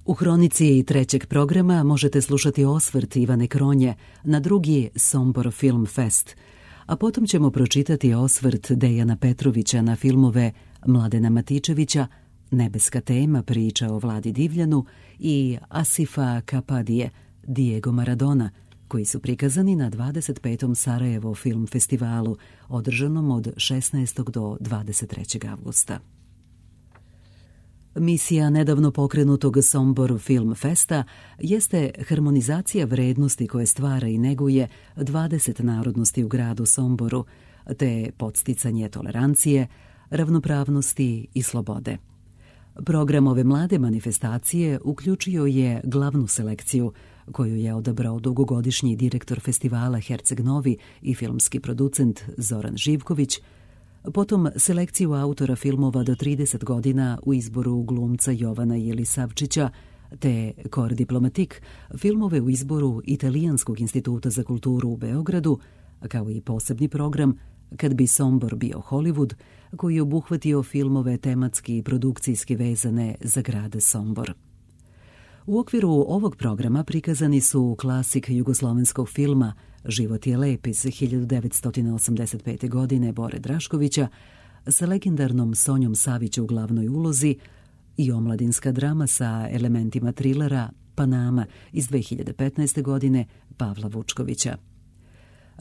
U hronici trećeg programa možete slušati osvrt Ivane Kronje na drugi Sombor Film Fest, a potom ćemo pročitati osvrt Dejana Petrovića na filmove Mladena Matičevića, Nebeska tema, priča o Vladi Divljanu i Asifa Kapadije, Diego Maradona, koji su prikazani na 25. Sarajevo Film Festivalu, održanom od 16. do 23. avgusta. Misija nedavno pokrenutog Sombor Film Festa jeste harmonizacija vrednosti koje stvara i neguje 20 narodnosti u gradu Somboru, te podsticanje tolerancije, ravnopravnosti i slobode. Program ove mlade manifestacije uključio je glavnu selekciju, koju je odabrao dugogodišnji direktor festivala Herceg Novi i filmski producent Zoran Živković, potom selekciju autora filmova do 30 godina u izboru glumca Jovana Jelisavčića, te Kor Diplomatik, filmove u izboru Italijanskog instituta za kulturu u Beogradu, kao i posebni program Kad bi Sombor bio Hollywood, koji je obuhvatio filmove tematski i produkcijski vezane za grad Sombor. U okviru ovog programa prikazani su klasik jugoslovenskog filma Život je lep iz 1985. godine Bore Draškovića sa legendarnom Sonjom Savić u glavnoj ulozi i omladinska drama sa elementima trilera Panama iz 2015. godine Pavla Vučkovića.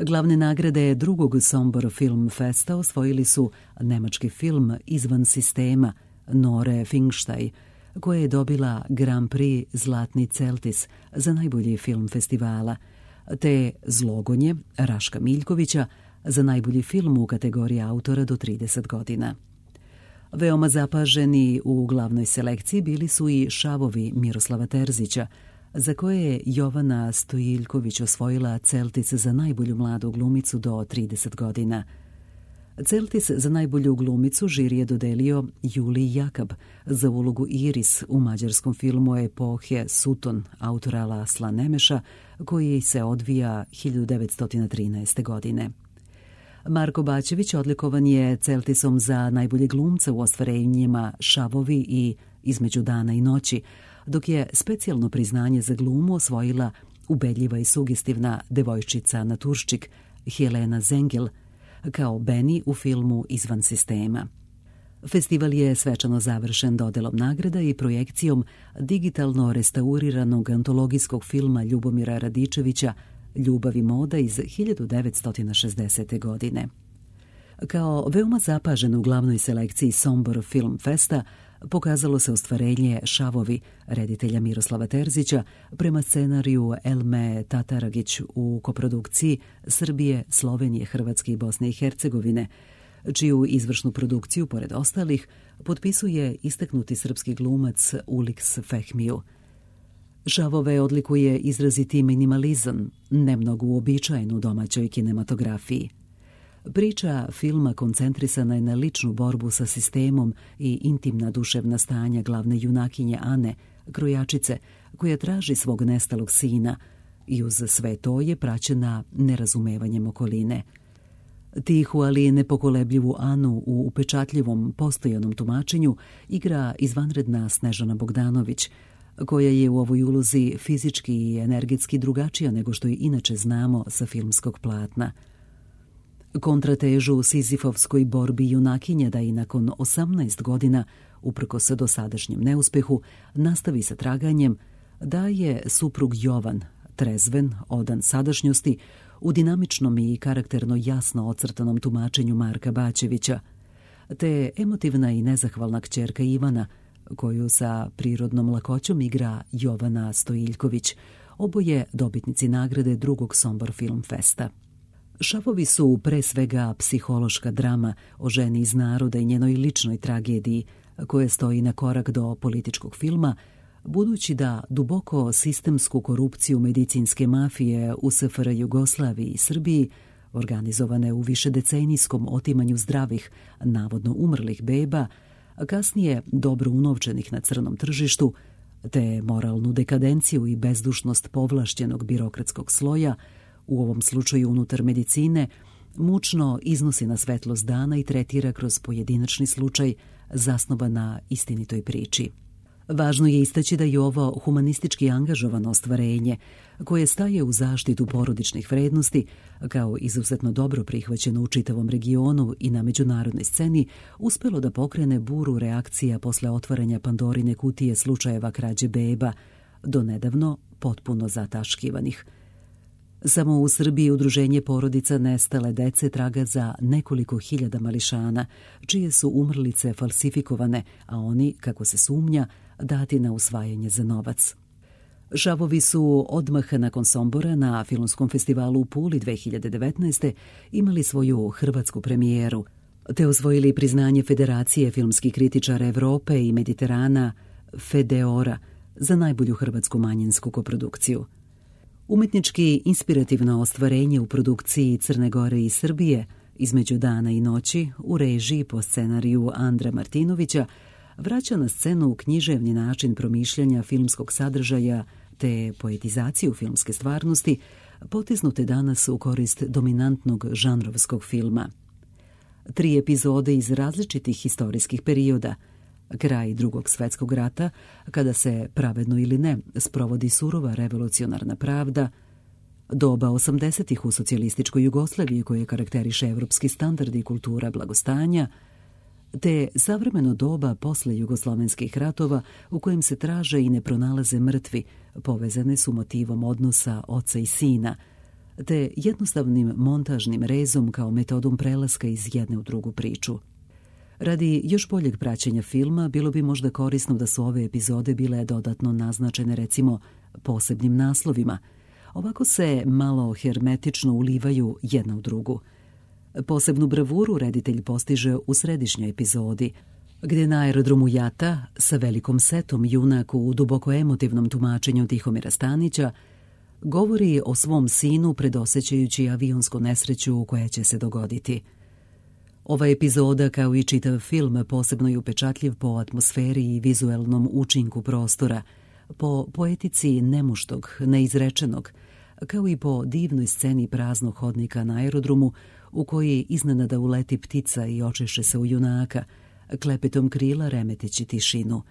Glavne nagrade drugog Sombor Film Festa osvojili su nemački film Izvan sistema Nore Finkštaj, koja je dobila Grand Prix Zlatni Celtis za najbolji film festivala, te Zlogonje Raška Miljkovića za najbolji film u kategoriji autora do 30 godina. Veoma zapaženi u glavnoj selekciji bili su i Šavovi Miroslava Terzića, za koje je Jovana Stojiljković osvojila Celtis za najbolju mladu glumicu do 30 godina. Celtis za najbolju glumicu žiri je dodelio Juliji Jakab za ulogu Iris u mađarskom filmu epohe Suton autora Lasla Nemeša, koji se odvija 1913. godine. Marko Bačević odlikovan je Celtisom za najbolje glumca u ostvarenjima Šavovi i Između dana i noći, dok je specijalno priznanje za glumu osvojila ubedljiva i sugestivna devojčica naturščik Helena Zengel, kao Beni u filmu Izvan sistema. Festival je svečano završen dodelom nagrada i projekcijom digitalno restauriranog antologijskog filma Ljubomira Radičevića Ljubav i moda iz 1960. godine. Kao veoma zapažen u glavnoj selekciji Sombor Film Festa pokazalo se ostvarenje Šavovi reditelja Miroslava Terzića prema scenariju Elme Tataragić u koprodukciji Srbije, Slovenije, Hrvatske i Bosne i Hercegovine, čiju izvršnu produkciju, pored ostalih, potpisuje istaknuti srpski glumac Uliks Fehmiju. Šavove odlikuje izraziti minimalizam, nemnogo uobičajen u domaćoj kinematografiji. Priča filma koncentrisana je na ličnu borbu sa sistemom i intimna duševna stanja glavne junakinje Ane, krojačice, koja traži svog nestalog sina i uz sve to je praćena nerazumevanjem okoline. Tihu, ali nepokolebljivu Anu u upečatljivom postojanom tumačenju igra izvanredna Snežana Bogdanović, koja je u ovoj ulozi fizički i energetski drugačija nego što je inače znamo sa filmskog platna. Kontratežu sizifovskoj borbi junakinje da i nakon 18 godina, uprkos dosadašnjem neuspehu, nastavi sa traganjem, daje suprug Jovan, trezven, odan sadašnjosti, u dinamičnom i karakterno jasno ocrtanom tumačenju Marka Bačevića, te emotivna i nezahvalna kćerka Ivana, koju sa prirodnom lakoćom igra Jovana Stojiljković, oboje dobitnici nagrade drugog Sombor Film Festa. Šavovi su pre svega psihološka drama o ženi iz naroda i njenoj ličnoj tragediji, koja stoji na korak do političkog filma, budući da duboko sistemsku korupciju medicinske mafije u SFRJ Jugoslaviji i Srbiji, organizovane u višedecenijskom otimanju zdravih, navodno umrlih beba, a kasnije dobro unovčenih na crnom tržištu, te moralnu dekadenciju i bezdušnost povlašćenog birokratskog sloja, u ovom slučaju unutar medicine, mučno iznosi na svetlost dana i tretira kroz pojedinačni slučaj zasnovan na istinitoj priči. Važno je istaći da je ovo humanistički angažovano ostvarenje, koje staje u zaštitu porodičnih vrednosti, kao izuzetno dobro prihvaćeno u čitavom regionu i na međunarodnoj sceni, uspelo da pokrene buru reakcija posle otvaranja Pandorine kutije slučajeva krađe beba, do nedavno potpuno zataškivanih. Samo u Srbiji Udruženje porodica nestale dece traga za nekoliko hiljada mališana, čije su umrlice falsifikovane, a oni, kako se sumnja, dati na usvajanje za novac. Šavovi su odmah nakon Sombora na Filmskom festivalu u Puli 2019. imali svoju hrvatsku premijeru, te osvojili priznanje Federacije filmskih kritičara Evrope i Mediterana Fedeora za najbolju hrvatsku manjinsku koprodukciju. Umetnički inspirativno ostvarenje u produkciji Crne Gore i Srbije Između dana i noći u režiji po scenariju Andra Martinovića vraća na scenu književni način promišljanja filmskog sadržaja te poetizaciju filmske stvarnosti potisnute danas u korist dominantnog žanrovskog filma. 3 epizode iz različitih historijskih perioda, kraj Drugog svjetskog rata, kada se, pravedno ili ne, sprovodi surova revolucionarna pravda, doba 80-ih u socijalističkoj Jugoslaviji koje karakteriše evropski standard i kultura blagostanja, te savremeno doba posle jugoslovenskih ratova u kojem se traže i ne pronalaze mrtvi, povezane su motivom odnosa oca i sina, te jednostavnim montažnim rezom kao metodom prelaska iz jedne u drugu priču. Radi još boljeg praćenja filma bilo bi možda korisno da su ove epizode bile dodatno naznačene recimo posebnim naslovima. Ovako se malo hermetično ulivaju jedna u drugu. Posebnu bravuru reditelj postiže u središnjoj epizodi, gdje na aerodromu Jata sa velikom setom junak u duboko emotivnom tumačenju Tihomira Stanića govori o svom sinu predosećajući avionsku nesreću koja će se dogoditi. Ova epizoda, kao i čitav film, posebno je upečatljiv po atmosferi i vizuelnom učinku prostora, po poetici nemuštog, neizrečenog, kao i po divnoj sceni praznog hodnika na aerodromu u koji iznenada uleti ptica i očeše se u junaka, klepetom krila remeteći tišinu.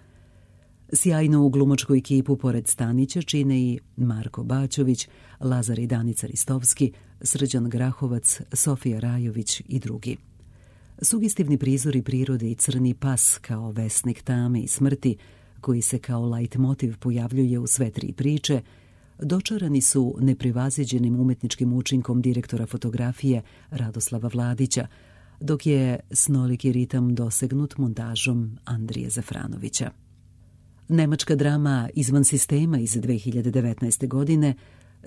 Sjajnu u glumačku ekipu pored Stanića čine i Marko Bačović, Lazar i Danica Ristovski, Srđan Grahovac, Sofija Rajović i drugi. Sugestivni prizori prirode i crni pas kao vesnik tame i smrti, koji se kao leitmotiv pojavljuje u sve 3 priče, dočarani su neprevaziđenim umetničkim učinkom direktora fotografije Radoslava Vladića, dok je snoliki ritam dosegnut montažom Andrije Zafranovića. Nemačka drama Izvan sistema iz 2019. godine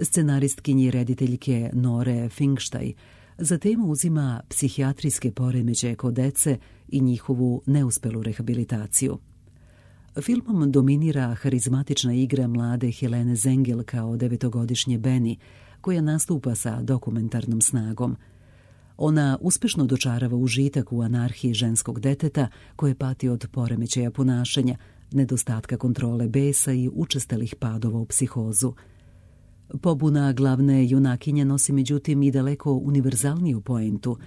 scenaristkinje i rediteljke Nore Finkštaj za temu uzima psihijatrijske poremećaje kod dece i njihovu neuspelu rehabilitaciju. Filmom dominira harizmatična igra mlade Helene Zengel kao 9-godišnje Benny, koja nastupa sa dokumentarnom snagom. Ona uspešno dočarava užitak u anarhiji ženskog deteta koje pati od poremećaja ponašanja, nedostatka kontrole besa i učestalih padova u psihozu. Pobuna glavne junakinje nosi međutim i daleko univerzalniju poentu,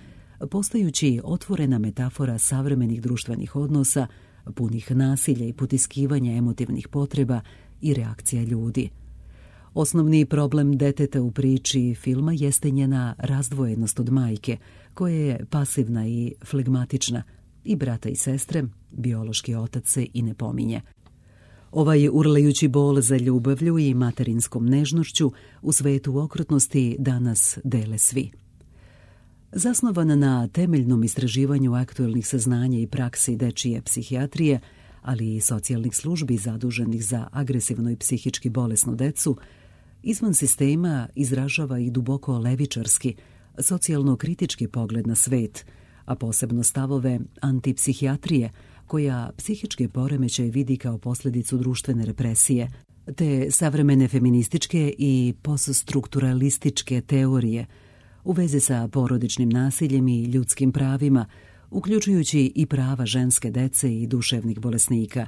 postajući otvorena metafora savremenih društvenih odnosa, punih nasilja i potiskivanja emotivnih potreba i reakcija ljudi. Osnovni problem deteta u priči filma jeste njena razdvojenost od majke, koja je pasivna i flegmatična, i brata i sestre, biološki otac se i ne pominje. Ovaj urlajući bol za ljubavlju i materinskom nežnošću u svetu okrutnosti danas dele svi. Zasnovan na temeljnom istraživanju aktuelnih saznanja i praksi dečije psihijatrije, ali i socijalnih službi zaduženih za agresivno i psihički bolesnu decu, Izvan sistema izražava i duboko levičarski, socijalno-kritički pogled na svet, a posebno stavove antipsihijatrije, koja psihičke poremećaje vidi kao posljedicu društvene represije, te savremene feminističke i poststrukturalističke teorije u vezi sa porodičnim nasiljem i ljudskim pravima, uključujući i prava ženske dece i duševnih bolesnika.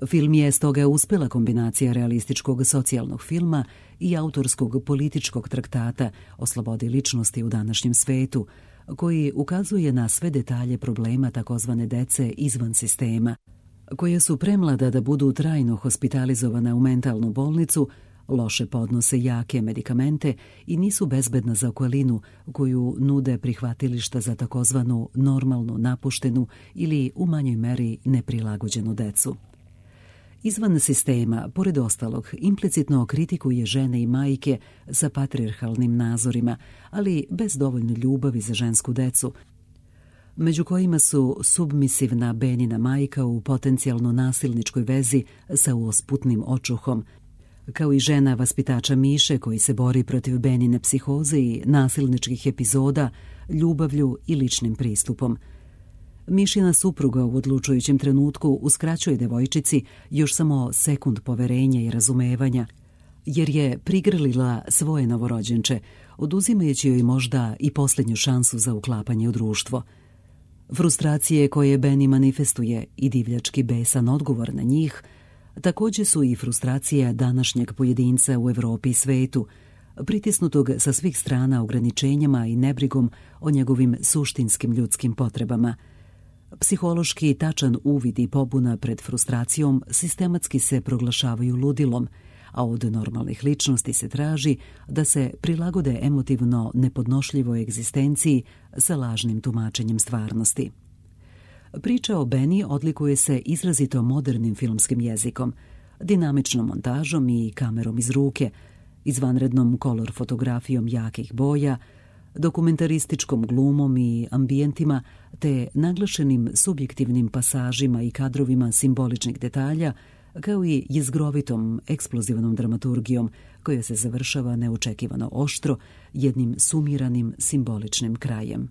Film je stoga uspjela kombinacija realističkog socijalnog filma i autorskog političkog traktata o slobodi ličnosti u današnjem svetu, koji ukazuje na sve detalje problema takozvane dece izvan sistema, koja su premlada da budu trajno hospitalizovana u mentalnu bolnicu, loše podnose jake medikamente i nisu bezbedna za okolinu koju nude prihvatilišta za takozvanu normalnu, napuštenu ili u manjoj meri neprilagođenu decu. Izvan sistema, pored ostalog, implicitno kritikuje žene i majke sa patrijarhalnim nazorima, ali bez dovoljno ljubavi za žensku decu, među kojima su submisivna Benina majka u potencijalno nasilničkoj vezi sa uosputnim očuhom, kao i žena vaspitača Miše koji se bori protiv Benine psihoze i nasilničkih epizoda, ljubavlju i ličnim pristupom. Mišina supruga u odlučujućem trenutku uskraćuje devojčici još samo sekund poverenja i razumevanja, jer je prigrlila svoje novorođenče, oduzimajući joj možda i posljednju šansu za uklapanje u društvo. Frustracije koje Benny manifestuje i divljački besan odgovor na njih također su i frustracija današnjeg pojedinca u Evropi i svetu, pritisnutog sa svih strana ograničenjama i nebrigom o njegovim suštinskim ljudskim potrebama. Psihološki tačan uvid i pobuna pred frustracijom sistematski se proglašavaju ludilom, a od normalnih ličnosti se traži da se prilagode emotivno nepodnošljivoj egzistenciji sa lažnim tumačenjem stvarnosti. Priča o Benny odlikuje se izrazito modernim filmskim jezikom, dinamičnom montažom i kamerom iz ruke, izvanrednom kolor fotografijom jakih boja, dokumentarističkom glumom i ambijentima te naglašenim subjektivnim pasažima i kadrovima simboličnih detalja, kao i jezgrovitom eksplozivnom dramaturgijom koja se završava neočekivano oštro jednim sumiranim simboličnim krajem.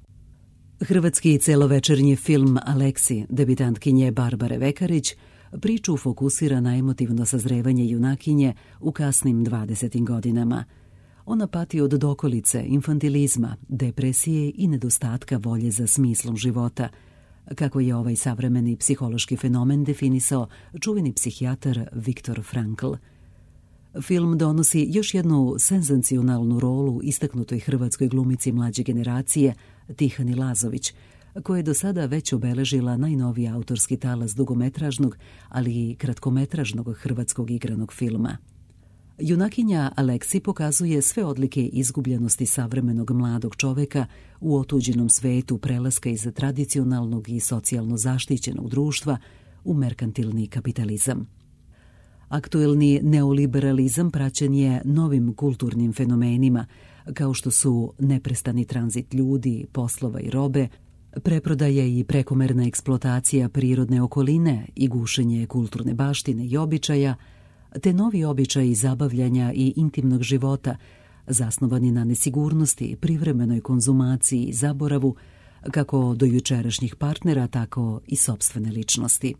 Hrvatski celovečernji film Aleksi, debitantkinje Barbare Vekarić, priču fokusira na emotivno sazrevanje junakinje u kasnim 20. godinama. Ona pati od dokolice, infantilizma, depresije i nedostatka volje za smislom života, kako je ovaj savremeni psihološki fenomen definisao čuveni psihijatar Viktor Frankl. Film donosi još jednu senzacionalnu rolu istaknutoj hrvatskoj glumici mlađe generacije Tihani Lazović, koja je do sada već obeležila najnoviji autorski talas dugometražnog, ali i kratkometražnog hrvatskog igranog filma. Junakinja Aleksi pokazuje sve odlike izgubljenosti savremenog mladog čoveka u otuđenom svetu prelaska iz tradicionalnog i socijalno zaštićenog društva u merkantilni kapitalizam. Aktuelni neoliberalizam praćen je novim kulturnim fenomenima, kao što su neprestani tranzit ljudi, poslova i robe, preprodaja i prekomerna eksploatacija prirodne okoline i gušenje kulturne baštine i običaja, te novi običaji zabavljanja i intimnog života, zasnovani na nesigurnosti, privremenoj konzumaciji i zaboravu, kako do jučerašnjih partnera, tako i sopstvene ličnosti.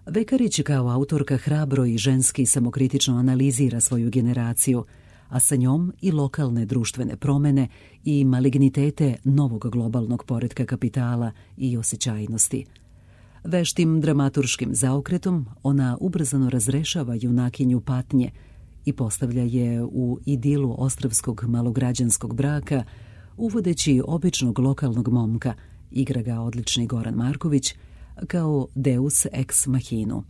Vekarić kao autorka hrabro i ženski samokritično analizira svoju generaciju, a sa njom i lokalne društvene promene i malignitete novog globalnog poretka kapitala i osjećajnosti. Veštim dramaturškim zaokretom ona ubrzano razrešava junakinju patnje i postavlja je u idilu ostrvskog malograđanskog braka, uvodeći običnog lokalnog momka, igra ga odlični Goran Marković, kao deus ex machinu.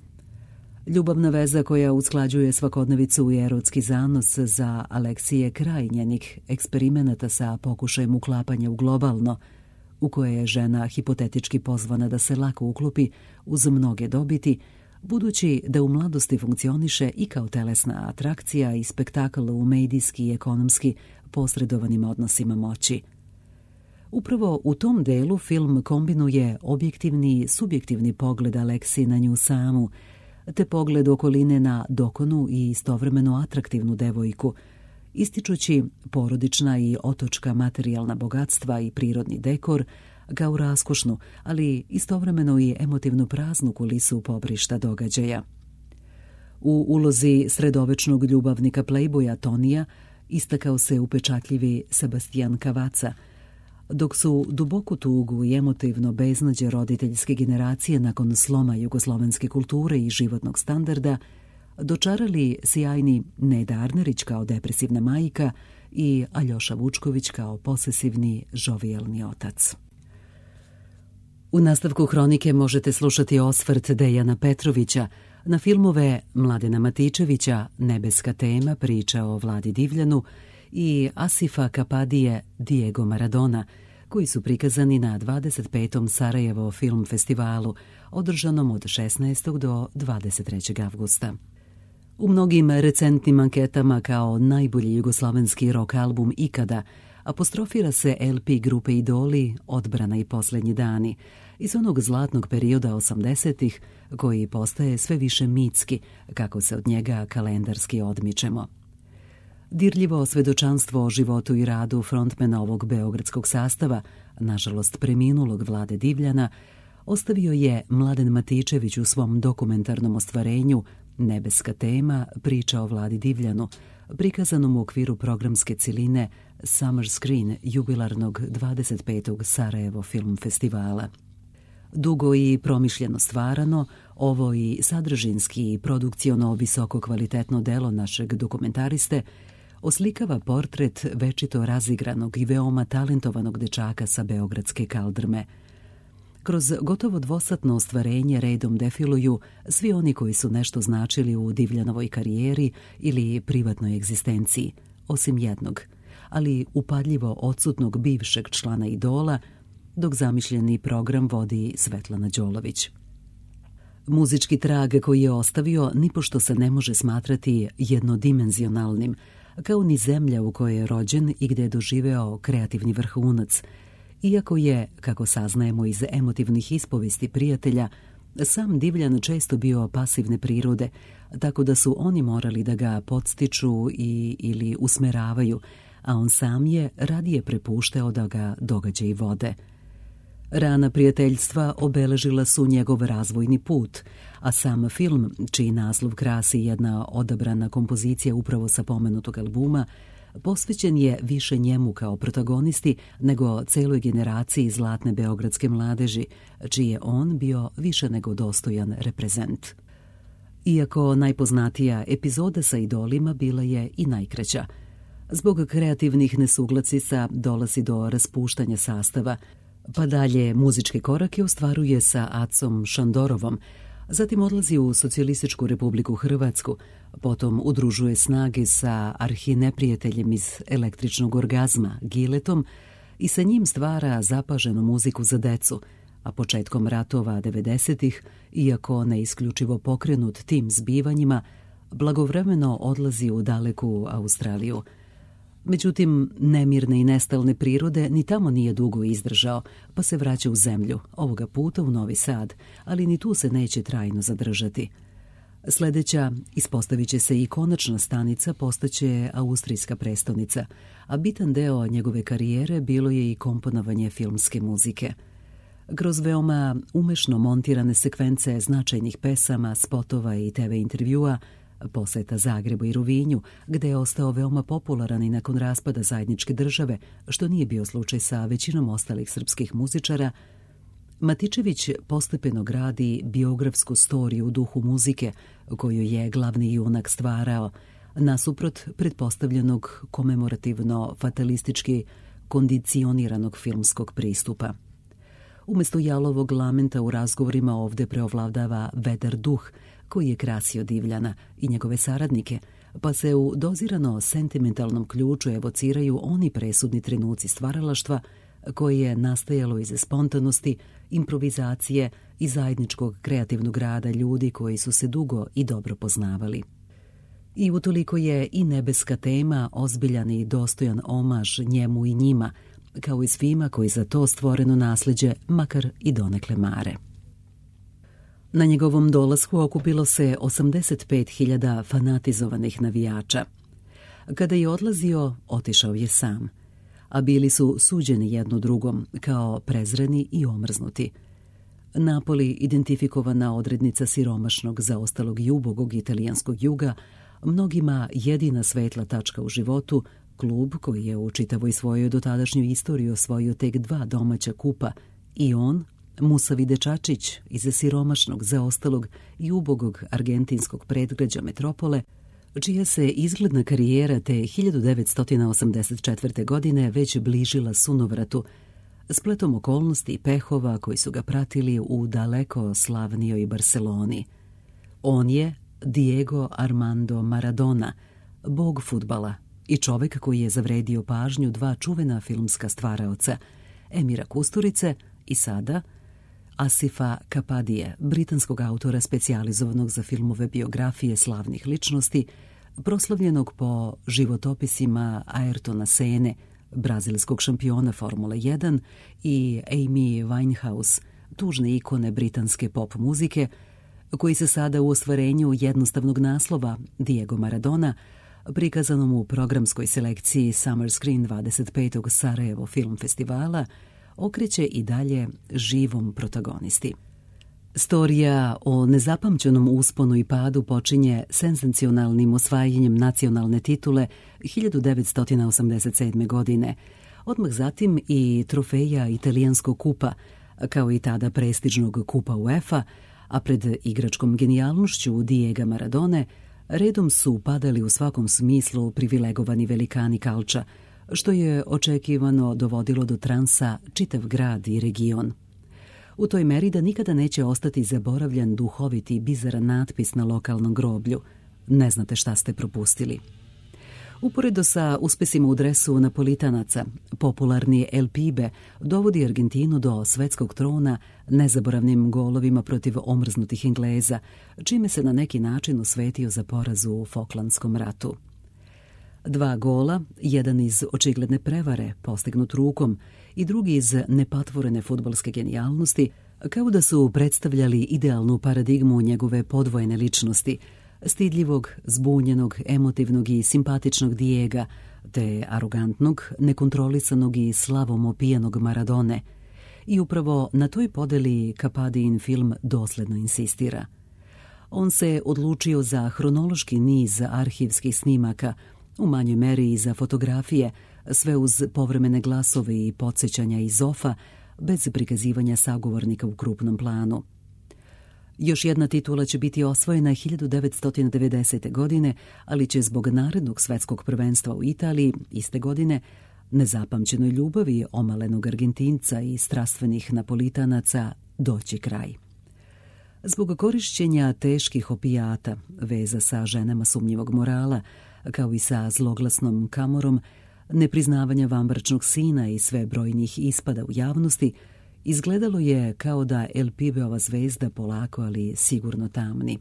Ljubavna veza koja usklađuje svakodnevicu i erotski zanos za Aleksije kraj njenih eksperimenata sa pokušajem uklapanja u globalno, u koje je žena hipotetički pozvana da se lako uklopi uz mnoge dobiti, budući da u mladosti funkcioniše i kao telesna atrakcija i spektakl u medijski i ekonomski posredovanim odnosima moći. Upravo u tom delu film kombinuje objektivni i subjektivni pogled Aleksi na nju samu, te pogled okoline na dokonu i istovremeno atraktivnu devojku, ističući porodična i otočka materijalna bogatstva i prirodni dekor kao raskošnu, ali istovremeno i emotivno praznu kulisu pobrišta događaja. U ulozi sredovečnog ljubavnika playboya Tonija istakao se upečatljivi Sebastian Cavazza, dok su duboku tugu i emotivno beznađe roditeljske generacije nakon sloma jugoslovenske kulture i životnog standarda dočarali sjajni Neda Arnerić kao depresivna majka i Aljoša Vučković kao posesivni, žovijalni otac. U nastavku hronike možete slušati osvrt Dejana Petrovića na filmove Mladena Matičevića Nebeska tema, priča o Vladi Divljanu i Asifa Kapadije Diego Maradona, koji su prikazani na 25. Sarajevo film festivalu, održanom od 16. do 23. avgusta. U mnogim recentnim anketama kao najbolji jugoslavenski rock album ikada apostrofira se LP grupe Idoli Odbrana i posljednji dani iz onog zlatnog perioda 80-ih koji postaje sve više mitski kako se od njega kalendarski odmičemo. Dirljivo svedočanstvo o životu i radu frontmena ovog beogradskog sastava, nažalost preminulog Vlade Divljana, ostavio je Mladen Matičević u svom dokumentarnom ostvarenju Nebeska tema, priča o Vladi Divljanu, prikazanom u okviru programske ciline Summer Screen jubilarnog 25. Sarajevo film festivala. Dugo i promišljeno stvarano, ovo i sadržinski i produkciono visoko kvalitetno delo našeg dokumentariste oslikava portret večito razigranog i veoma talentovanog dečaka sa beogradske kaldrme. Kroz gotovo dvosatno ostvarenje redom defiluju svi oni koji su nešto značili u Divljanovoj karijeri ili privatnoj egzistenciji, osim jednog, ali upadljivo odsutnog bivšeg člana Idola, dok zamišljeni program vodi Svetlana Đolović. Muzički trag koji je ostavio nipošto se ne može smatrati jednodimenzionalnim, kao ni zemlja u kojoj je rođen i gdje je doživeo kreativni vrhunac, iako je, kako saznajemo iz emotivnih ispovesti prijatelja, sam Divljan često bio pasivne prirode, tako da su oni morali da ga podstiču ili usmeravaju, a on sam je radije prepuštao da ga događaji vode. Rana prijateljstva obeležila su njegov razvojni put, a sam film, čiji naslov krasi jedna odabrana kompozicija upravo sa pomenutog albuma, posvećen je više njemu kao protagonisti nego celoj generaciji zlatne beogradske mladeži, čiji je on bio više nego dostojan reprezent. Iako najpoznatija epizoda sa Idolima bila je i najkraća. Zbog kreativnih nesuglasica dolazi do raspuštanja sastava, pa dalje muzičke korake ostvaruje sa Acom Šandorovom, zatim odlazi u Socijalističku Republiku Hrvatsku, potom udružuje snage sa arhineprijateljem iz Električnog orgazma, Giletom, i sa njim stvara zapaženu muziku za decu, a početkom ratova 90-ih, iako ne isključivo pokrenut tim zbivanjima, blagovremeno odlazi u daleku Australiju. Međutim, nemirne i nestalne prirode ni tamo nije dugo izdržao, pa se vraća u zemlju, ovoga puta u Novi Sad, ali ni tu se neće trajno zadržati. Sljedeća ispostavit će se i konačna stanica postaće austrijska prestonica, a bitan deo njegove karijere bilo je i komponovanje filmske muzike. Kroz veoma umešno montirane sekvence značajnih pesama, spotova i TV intervjua, poseta Zagrebu i Rovinju, gde je ostao veoma popularan i nakon raspada zajedničke države, što nije bio slučaj sa većinom ostalih srpskih muzičara, Matičević postepeno gradi biografsku storiju u duhu muzike, koju je glavni junak stvarao, nasuprot pretpostavljenog komemorativno-fatalistički kondicioniranog filmskog pristupa. Umjesto jalovog lamenta u razgovorima ovdje preovladava vedar duh, koji je krasio Divljana i njegove saradnike, pa se u dozirano sentimentalnom ključu evociraju oni presudni trenuci stvaralaštva koje je nastajalo iz spontanosti, improvizacije i zajedničkog kreativnog rada ljudi koji su se dugo i dobro poznavali. I utoliko je i Nebeska tema ozbiljan i dostojan omaž njemu i njima, kao i svima koji za to stvoreno nasljeđe makar i donekle mare. Na njegovom dolasku okupilo se 85.000 fanatizovanih navijača. Kada je odlazio, otišao je sam, a bili su suđeni jedno drugom kao prezreni i omrznuti. Napoli, identifikovana odrednica siromašnog zaostalog i ubogog italijanskog juga, mnogima jedina svetla tačka u životu, klub koji je u čitavoj svojoj dotadašnjoj istoriji osvojio tek 2 domaća kupa, i on, musavi dečačić iz siromašnog, zaostalog i ubogog argentinskog predgrađa metropole, čija se izgledna karijera te 1984. godine već bližila sunovratu, spletom okolnosti i pehova koji su ga pratili u daleko slavnijoj Barseloni. On je Diego Armando Maradona, bog fudbala i čovek koji je zavredio pažnju dva čuvena filmska stvaraoca, Emira Kusturice i sada Asifa Kapadije, britanskog autora specijalizovanog za filmove biografije slavnih ličnosti, proslavljenog po životopisima Ayrtona Sene, brazilskog šampiona Formule 1, i Amy Winehouse, tužne ikone britanske pop muzike, koji se sada u ostvarenju jednostavnog naslova Diego Maradona, prikazanom u programskoj selekciji Summer Screen 25. Sarajevo Film Festivala, okreće i dalje živom protagonisti. Storija o nezapamćenom usponu i padu počinje senzacionalnim osvajanjem nacionalne titule 1987. godine, odmah zatim i trofeja italijanskog kupa, kao i tada prestižnog kupa UEFA, a pred igračkom genijalnošću Diega Maradone redom su padali u svakom smislu privilegovani velikani kalča, što je očekivano dovodilo do transa čitav grad i region. U toj meri da nikada neće ostati zaboravljan duhoviti i bizaran natpis na lokalnom groblju: ne znate šta ste propustili. Uporedo sa uspesima u dresu Napolitanaca, popularni El Pibe dovodi Argentinu do svetskog trona nezaboravnim golovima protiv omrznutih Engleza, čime se na neki način osvetio za poraz u Falklandskom ratu. 2 gola, jedan iz očigledne prevare, postignut rukom, i drugi iz nepatvorene fudbalske genijalnosti, kao da su predstavljali idealnu paradigmu njegove podvojene ličnosti, stidljivog, zbunjenog, emotivnog i simpatičnog Diega, te arogantnog, nekontrolisanog i slavom opijanog Maradone. I upravo na toj podeli Kapadijin film dosledno insistira. On se odlučio za hronološki niz arhivskih snimaka, u manjoj meri i za fotografije, sve uz povremene glasove i podsjećanja iz ofa, bez prikazivanja sagovornika u krupnom planu. Još jedna titula će biti osvojena 1990. godine, ali će zbog narednog svetskog prvenstva u Italiji iste godine, nezapamćenoj ljubavi omalenog Argentinca i strastvenih Napolitanaca, doći kraj. Zbog korišćenja teških opijata, veza sa ženama sumnjivog morala, kao i sa zloglasnom Camorom, nepriznavanja vanbračnog sina i sve brojnih ispada u javnosti, izgledalo je kao da El Pibeova zvezda polako, ali sigurno tamni.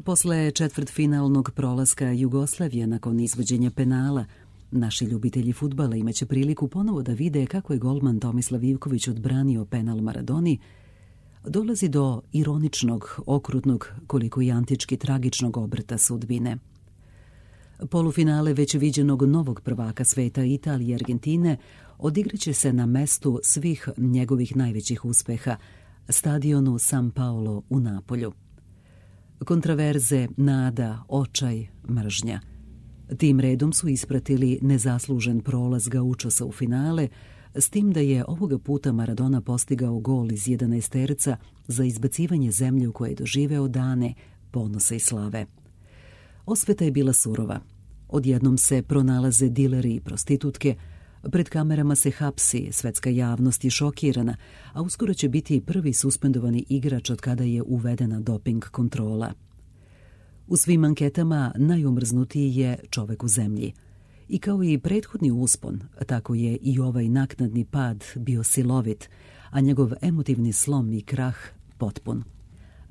Posle četvrtfinalnog prolaska Jugoslavije nakon izvođenja penala, naši ljubitelji fudbala imaće priliku ponovo da vide kako je golman Tomislav Ivković odbranio penal Maradoni, dolazi do ironičnog, okrutnog, koliko i antički tragičnog obrta sudbine. Polufinale već viđenog novog prvaka sveta Italije i Argentine odigraće se na mestu svih njegovih najvećih uspeha, stadionu San Paolo u Napolju. Kontraverze, nada, očaj, mržnja. Tim redom su ispratili nezaslužen prolaz Gaučosa u finale, s tim da je ovoga puta Maradona postigao gol iz 11 za izbacivanje zemlje u koje je doživeo dane ponosa i slave. Osveta je bila surova. Odjednom se pronalaze dileri i prostitutke, pred kamerama se hapsi, svetska javnost je šokirana, a uskoro će biti prvi suspendovani igrač od kada je uvedena doping kontrola. U svim anketama najomrznutiji je čovek u zemlji. I kao i prethodni uspon, tako je i ovaj naknadni pad bio silovit, a njegov emotivni slom i krah potpun.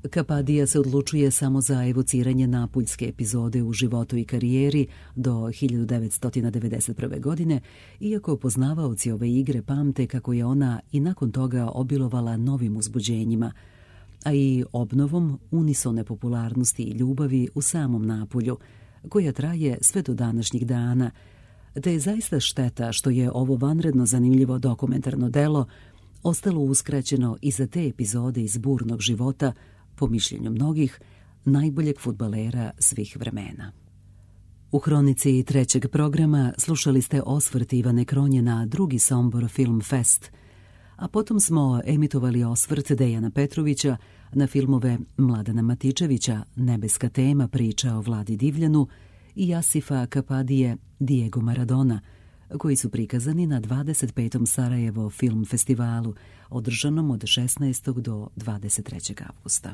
Kapadija se odlučuje samo za evociranje napuljske epizode u životu i karijeri do 1991. godine, iako poznavaoci ove igre pamte kako je ona i nakon toga obilovala novim uzbuđenjima, a i obnovom unisone popularnosti i ljubavi u samom Napulju, koja traje sve do današnjih dana, te je zaista šteta što je ovo vanredno zanimljivo dokumentarno delo ostalo uskraćeno i za te epizode iz burnog života, po mišljenju mnogih, najboljeg fudbalera svih vremena. U hronici 3. programa slušali ste osvrt Ivane Kronje na drugi Sombor Film Fest, a potom smo emitovali osvrt Dejana Petrovića na filmove Mladena Matičevića Nebeska tema, priča o Vladi Divljanu, i Asifa Kapadije Diego Maradona, koji su prikazani na 25. Sarajevo film festivalu, održanom od 16. do 23. avgusta.